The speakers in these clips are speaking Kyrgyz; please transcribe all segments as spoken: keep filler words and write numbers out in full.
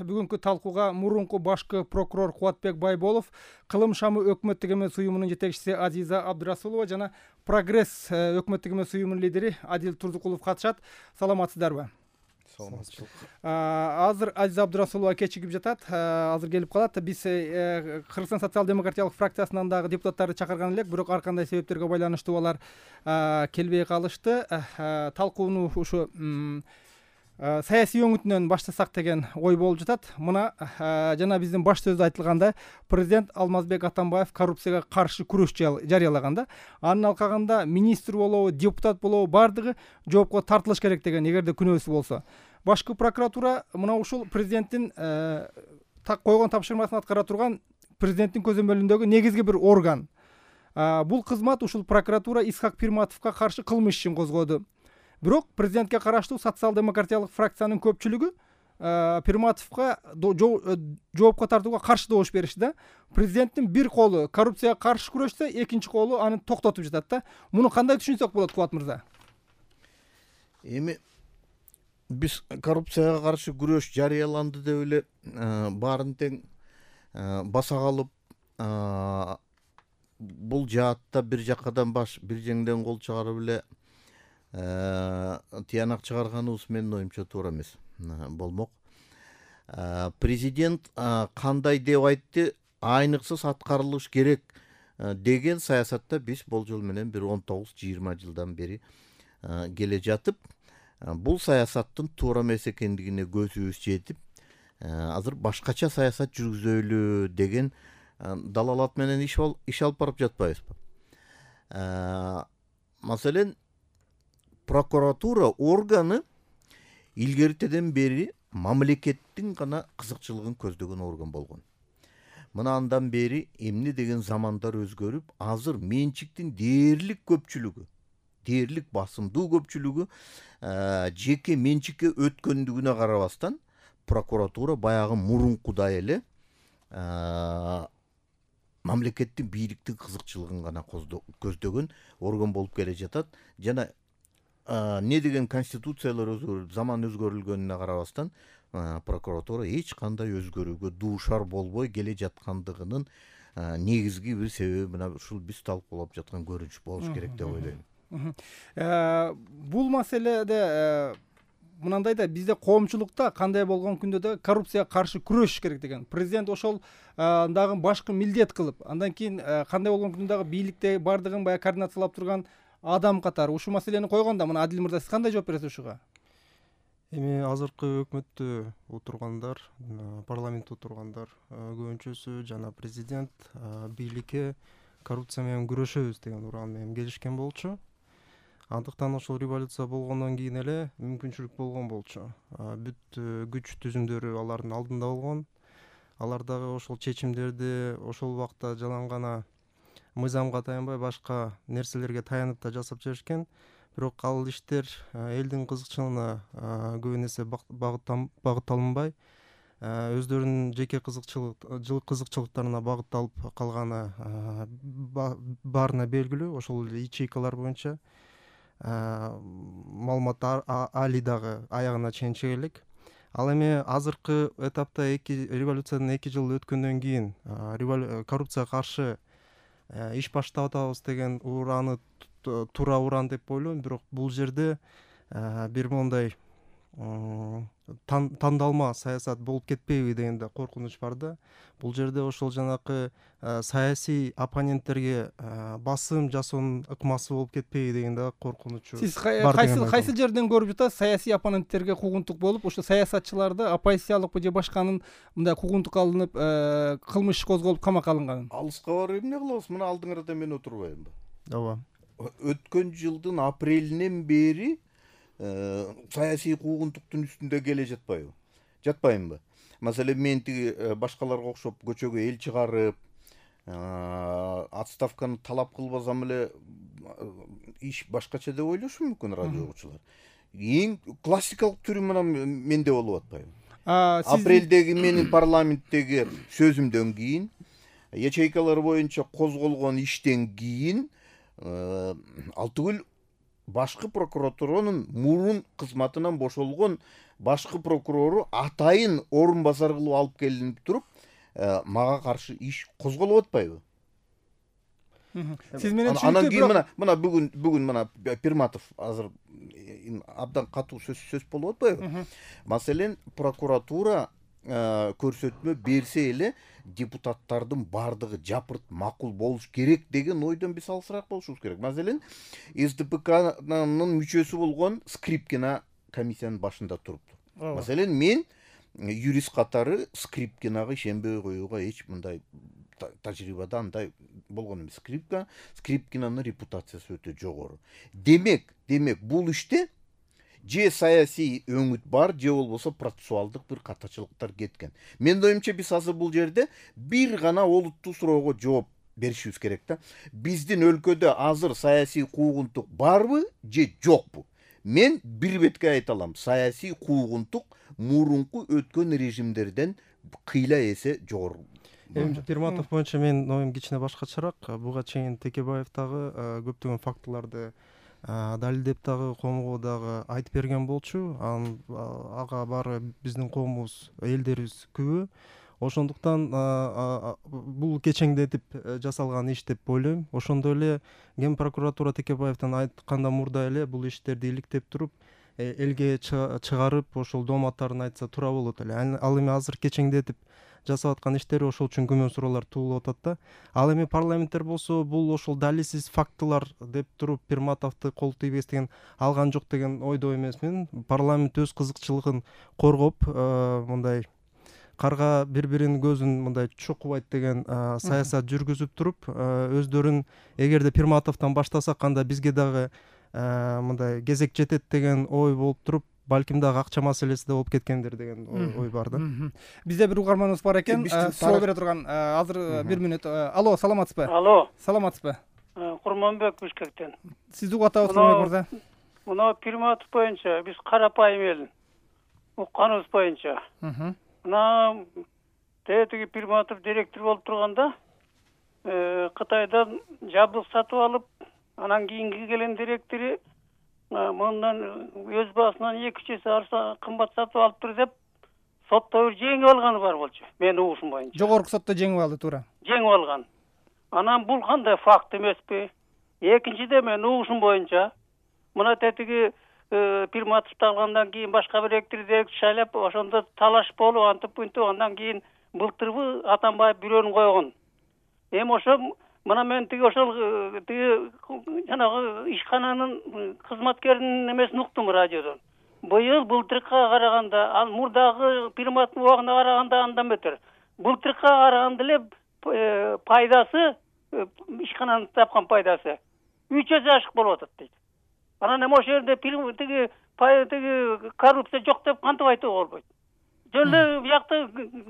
Бүгүнкү талкууга мурунку башкы прокурор Кубатбек Байболов, Кылым шамы өкмөттүк эмес уюмунун жетекчиси Азиза Абдырасулова жана Прогресс өкмөттүк эмес уюмунун лидери Адил Турдукулов катышат. Саламатсыздарбы? Саламатчылык. Азыр Азиза Абдырасулова кечигип жатат. Азыр келип калат. Биз Кыргызстан социал-демократиялык фракциясынан дагы депутаттарды чакырган элек, бирок ар кандай себептерге байланыштуу алар келбей калышты. Талкууну ушу саясий өңүтүнөн баштасак деген ой болуп жатат. Мына жана биздин баш сөздө айтылганда, президент Алмазбек Атамбаев коррупцияга каршы күрөш жарыялаганда, анын алкагында министр болобу, депутат болобу бардыгы жоопко тартылыш керек деген, эгерде күнөөсү болсо. Башкы прокуратура мына ушул президенттин так койгон тапшырмасын аткара турган президенттин көзөмөлүндөгү негизги бир орган. Бул кызмат ушул прокуратура Исхак Пирматовго каршы кылмыш ишин козгоду. Бирок президентке караштуу социал-демократиялык фракциянын көпчүлүгү Пирматовго жоопко тартууга каршы добуш беришти да. Президенттин бир колу коррупцияга каршы күрөштө, экинчи колу аны токтотуп жатат да. Муну кандай түшүнсөк болот, Кубат мырза? Эми биз коррупцияга каршы күрөш жарыяланды деп эле баарын тең баса калып, бул жаатта бир жакадан баш, бир жеңден кол чыгарып эле тыянак чыгарганыбыз менин оюмча туура эмес болмок. Президент кандай деп айтты, айныксыз аткарылыш керек деген саясатта биз болжол менен бир он тогуз жыйырма жылдан бери келе жатып, бул саясаттын туура эмес экендигине көзүбүз жетип, азыр башкача саясат жүргүзөлү деген далалат менен иш алып барып жатпайбызбы? Маселен, прокуратура органы илгертеден бери мамлекеттин гана кызыкчылыгын көздөгөн орган болгон. Мына андан бери эмне деген замандар өзгөрүп, азыр менчиктин дээрлик көпчүлүгү, дээрлик басымдуу көпчүлүгү жеке менчикке өткөндүгүнө карабастан, прокуратура баягы мурункудай эле мамлекеттин бийликтин кызыкчылыгын гана көздөгөн орган болуп келе жатат. Жана не деген конституциялар өзгөрүп, заман өзгөрүлгөнүнө карабастан, прокуратура эч кандай өзгөрүүгө дуушар болбой келе жаткандыгынын негизги бир себеби мына ушул биз талкуулап жаткан көрүнүш болуш керек деп ойлойм. Бул маселеде мынандай да, бизде коомчулукта кандай болгон күндө да коррупцияга каршы күрөшүш керек деген. Президент ошол дагы башкы милдет кылып, андан кийин кандай болгон күндө дагы бийликте бардыгын баягы координациялап турган адам катары ушул маселени койгондо, мына Адил мырза, сиз кандай жооп бересиз ушуга? Эми азыркы өкмөттө отургандар, парламентте отургандар көбүнчөсү жана президент бийликке коррупция менен күрөшөбүз деген уран менен келишкен болчу. Андыктан ошол революция болгондон кийин эле мүмкүнчүлүк болгон болчу. Бүт күч түзүмдөрү алардын алдында болгон. Алар дагы ошол чечимдерди ошол убакта жалаң гана мыйзамга таянбай башка нерселерге таянып да жасап жиберишкен. Бирок ал иштер элдин кызыкчылыгына көбүн эсе багытталынбай, өздөрүнүн жеке кызыкчылыктарына багытталып калганы баарына белгилүү. Ошол ячейкалар боюнча маалымат али дагы аягына чейин чыга элек. Ал эми азыркы этапта революциядан эки жыл өткөндөн кийин коррупцияга каршы иш баштап атабыз деген ураны туура уран деп ойлойм. Бирок бул жерде бир мондай тандалма саясат болуп кетпейби деген да коркунуч бар да. Бул жерде ошол жанакы саясий оппоненттерге басым жасоонун ыкмасы болуп кетпейби деген да коркунучу. Сиз кайсы жерден көрүп жатасыз саясий оппоненттерге куугунтук болуп, ошо саясатчыларды оппозициялык же башканын мындай куугунтук алынып, кылмыш козголуп камакка алынган? Алыска барып эмне кылабыз? Мына алдыңарда мен отурбаймынбы? Ооба. Өткөн жылдын апрелинен бери саясий куугунтуктун үстүндө келе жатпайбы? Жатпаймынбы? Маселен, мен тиги башкаларга окшоп көчөгө эл чыгарып, отставканы талап кылбасам эле иш башкача деп ойлошу мүмкүн радио окуучулар. Эң классикалык түрү мына менде болуп атпайбы? Апрелдеги менин парламенттеги сөзүмдөн кийин, ячейкалар боюнча козголгон иштен кийин ал түгүл башкы прокуратуранын мурун кызматынан бошолгон башкы прокурору атайын орун басар кылып алып келинип туруп мага каршы иш козголуп атпайбы? Сиз менен анан кийин мына мына бүгүн бүгүн мына Пирматов азыр абдан катуу сөз сөз болуп атпайбы? Маселен, прокуратура көрсөтмө берсе эле депутаттардын бардыгы жапырт макул болуш керек деген ойдон биз алысыраак болушубуз керек. Маселен, СДПКнын мүчөсү болгон Скрипкина комиссиянын башында турупту. Маселен, мен юрист катары Скрипкинага ишенбей коюуга эч мындай тажрыйбада андай болгон эмес. Скрипка, Скрипкинанын репутациясы өтө жогору. Демек, демек бул иште же саясий өңүт бар, же болбосо процессуалдык бир катачылыктар кеткен. Менин оюмча биз азыр бул жерде бир гана олуттуу суроого жооп беришибиз керек да. Биздин өлкөдө азыр саясий куугунтук барбы же жокпу? Мен бир бетке айта алам, саясий куугунтук мурунку өткөн режимдерден кыйла эсе жогору. Эми Пирматов боюнча менин оюм кичине башкачараак. Буга чейин Текебаев дагы көптөгөн фактыларды далилдеп дагы коомго дагы айтып берген болчу. Ага баары биздин коомубуз, элдерибиз күбө. Ошондуктан бул кечеңдетип жасалган иш деп ойлойм. Ошондой эле Ген прокуратура Текебаевден айтканда мурда эле бул иштерди иликтеп туруп, элге чыгарып, ошол дооматтарын айтса туура болот эле. Ал эми азыр кечеңдетип жасап аткан иштери ошол үчүн күмөн суроолор туулуп атат да. Ал эми парламенттер болсо бул ошол далилсиз фактылар деп туруп Пирматовду кол тийбестен алган жок деген ойдо эмесмин. Парламент өз кызыкчылыгын коргоп, мындай карга бири-биринин көзүн мындай чукубайт деген саясат жүргүзүп туруп, өздөрүн эгерде Пирматовдон баштасак анда бизге дагы мындай кезек жетет деген ой болуп туруп, балким дагы акча маселеси да болуп кеткендир деген ой бар да. Бизде бир угарманыбыз бар экен, суроо бере турган. Азыр бир мүнөт. Алло, саламатсызбы? Алло. Саламатсызбы? Курманбек Бишкектен. Сизди угуп атабыз, Курманбек мырза. Мына Пирматов боюнча биз карапайым эл. Укканыбыз боюнча. Мына тетиги Пирматов директор болуп турганда, Кытайдан жабдык сатып алып, анан кийинки келен директори мындан өз басынан эки үч эсе арзан кымбат сатып алыптыр деп сотто жеңип алганы бар болчу. Менин угушум боюнча. Жогорку сотто жеңип алды, туура. Жеңип алган. Анан бул кандай факт эмеспи? Экинчиде менин угушум боюнча мына тетиги Пирматовду алгандан кийин башка бир директор шайлап, ошондо талаш болуп, антип мынтип, андан кийин былтырбы Атамбаев бирөөнү койгон. Эми ошо мына мен тиги ошол тиги жанагы ишкананын кызматкеринин эмесин уктум радиодон. Быйыл былтыркыга караганда, ал мурдагы Пирматовдун убагына караганда андан бетер. Былтыркыга караганда эле пайдасы, ишкананын тапкан пайдасы үч эсе ашык болуп атат дейт. Анан эми ошол жерде тиги тиги коррупция жок деп кантип айтууга болбойт. Жөн эле биякта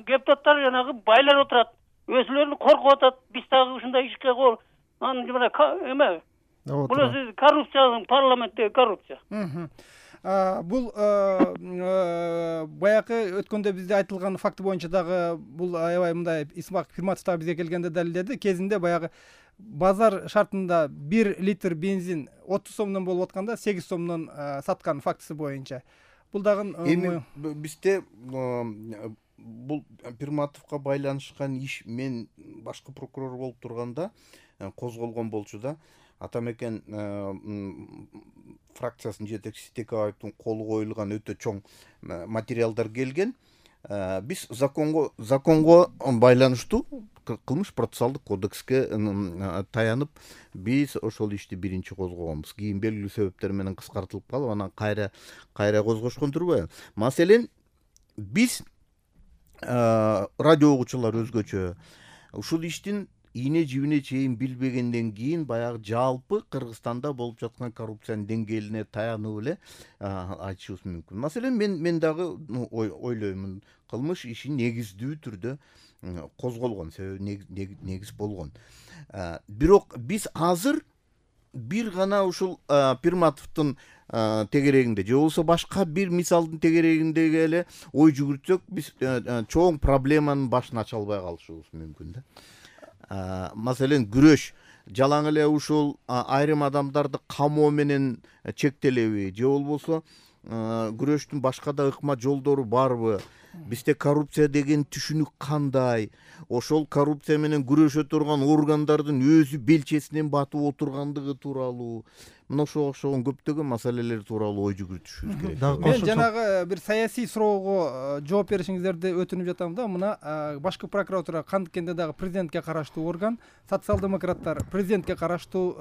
депутаттар жанагы байлар отурат. Өзүлөрүн коркуп атат. Биз дагы ушундай ишке кол. Анан мына эме. Бул өзү коррупция, парламенттеги коррупция. Бул баягы өткөндө бизде айтылган факты боюнча дагы бул аябай мындай Исмак Пирматов дагы бизге келгенде далилдеди. Кезинде баягы базар шартында бир литр бензин отуз сомдон болуп атканда сегиз сомдон саткан фактысы боюнча. Бул дагы эми бизде бул Пирматовго байланышкан иш мен башкы прокурор болуп турганда козголгон болчу да. Атамекен фракциясынын жетекчиси Текебаевдин колу коюлган өтө чоң материалдар келген. Биз законго законго байланыштуу кылмыш процессуалдык кодекске таянып биз ошол ишти биринчи козгогонбуз. Кийин белгилүү себептер менен кыскартылып калып, анан кайра кайра козгошкон турбайбы? Маселен, биз радио угуучулар өзгөчө ушул иштин ийне жибине чейин билбегенден кийин баягы жалпы Кыргызстанда болуп жаткан коррупциянын деңгээлине таянып эле айтышыбыз мүмкүн. Маселен, мен мен дагы ойлоймун, кылмыш иши негиздүү түрдө козголгон, себеби негиз болгон. Бирок биз азыр бир гана ушул Пирматовдун тегерегинде же болбосо башка бир мисалдын тегерегиндеги эле ой жүгүртсөк, биз чоң проблеманын башын ача албай калышыбыз мүмкүн да. Маселен, күрөш жалаң эле ушул айрым адамдарды камоо менен чектелеби же болбосо күрөштүн башка да ыкма жолдору барбы, бизде коррупция деген түшүнүк кандай, ошол коррупция менен күрөшө турган органдардын өзү белчесинен батып отургандыгы тууралуу, мына ошого окшогон көптөгөн маселелер тууралуу ой жүгүртүшүбүз керек. Мен жанагы бир саясий суроого жооп беришиңиздерди өтүнүп жатам да. Мына башкы прокуратура кантикенде дагы президентке караштуу орган, социал-демократтар президентке караштуу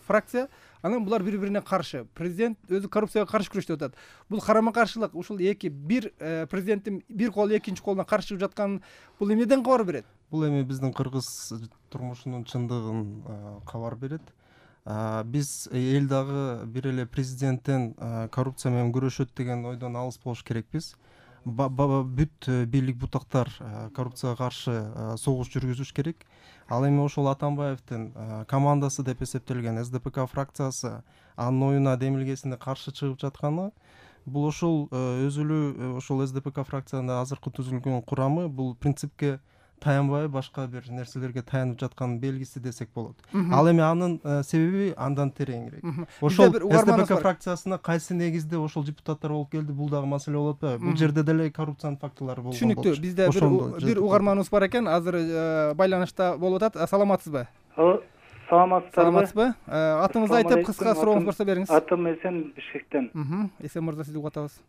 фракция. Анан булар бири-бирине каршы. Президент өзү коррупцияга каршы күрөштүп атат. Бул карама каршылык, ушул эки бир президенттин бир колу экинчи колуна каршы чыгып жаткан бул эмнеден кабар берет? Бул эми биздин кыргыз турмушунун чындыгын кабар берет. Биз эл дагы бир эле президенттен коррупция менен күрөшөт деген ойдон алыс болуш керекпиз. Бүт бийлик бутактар коррупцияга каршы согуш жүргүзүш керек. Ал эми ошол Атамбаевдин командасы деп эсептелген эс дэ пэ ка фракциясы анын оюна демилгесине каршы чыгып жатканы, бул ошол өзү эле ошол эс дэ пэ ка фракциянын азыркы түзүлгөн курамы бул принципке таянбай башка бир нерселерге таянып жатканын белгиси десек болот. Ал эми анын себеби андан тереңирээк. Ошол эс дэ пэ ка фракциясына кайсы негизде ошол депутаттар болуп келди, бул дагы маселе болуп атпайбы? Бул жерде деле коррупциянын фактылары болгон. Түшүнүктүү. Бизде бир угарманыбыз бар экен, азыр байланышта болуп атат. Саламатсызбы? Саламатсызбы? Саламатсызбы? Атыңызды айтып, кыска сурооңуз болсо бериңиз. Атым Эсен, Бишкектен. Эсен мырза, сизди угатабыз.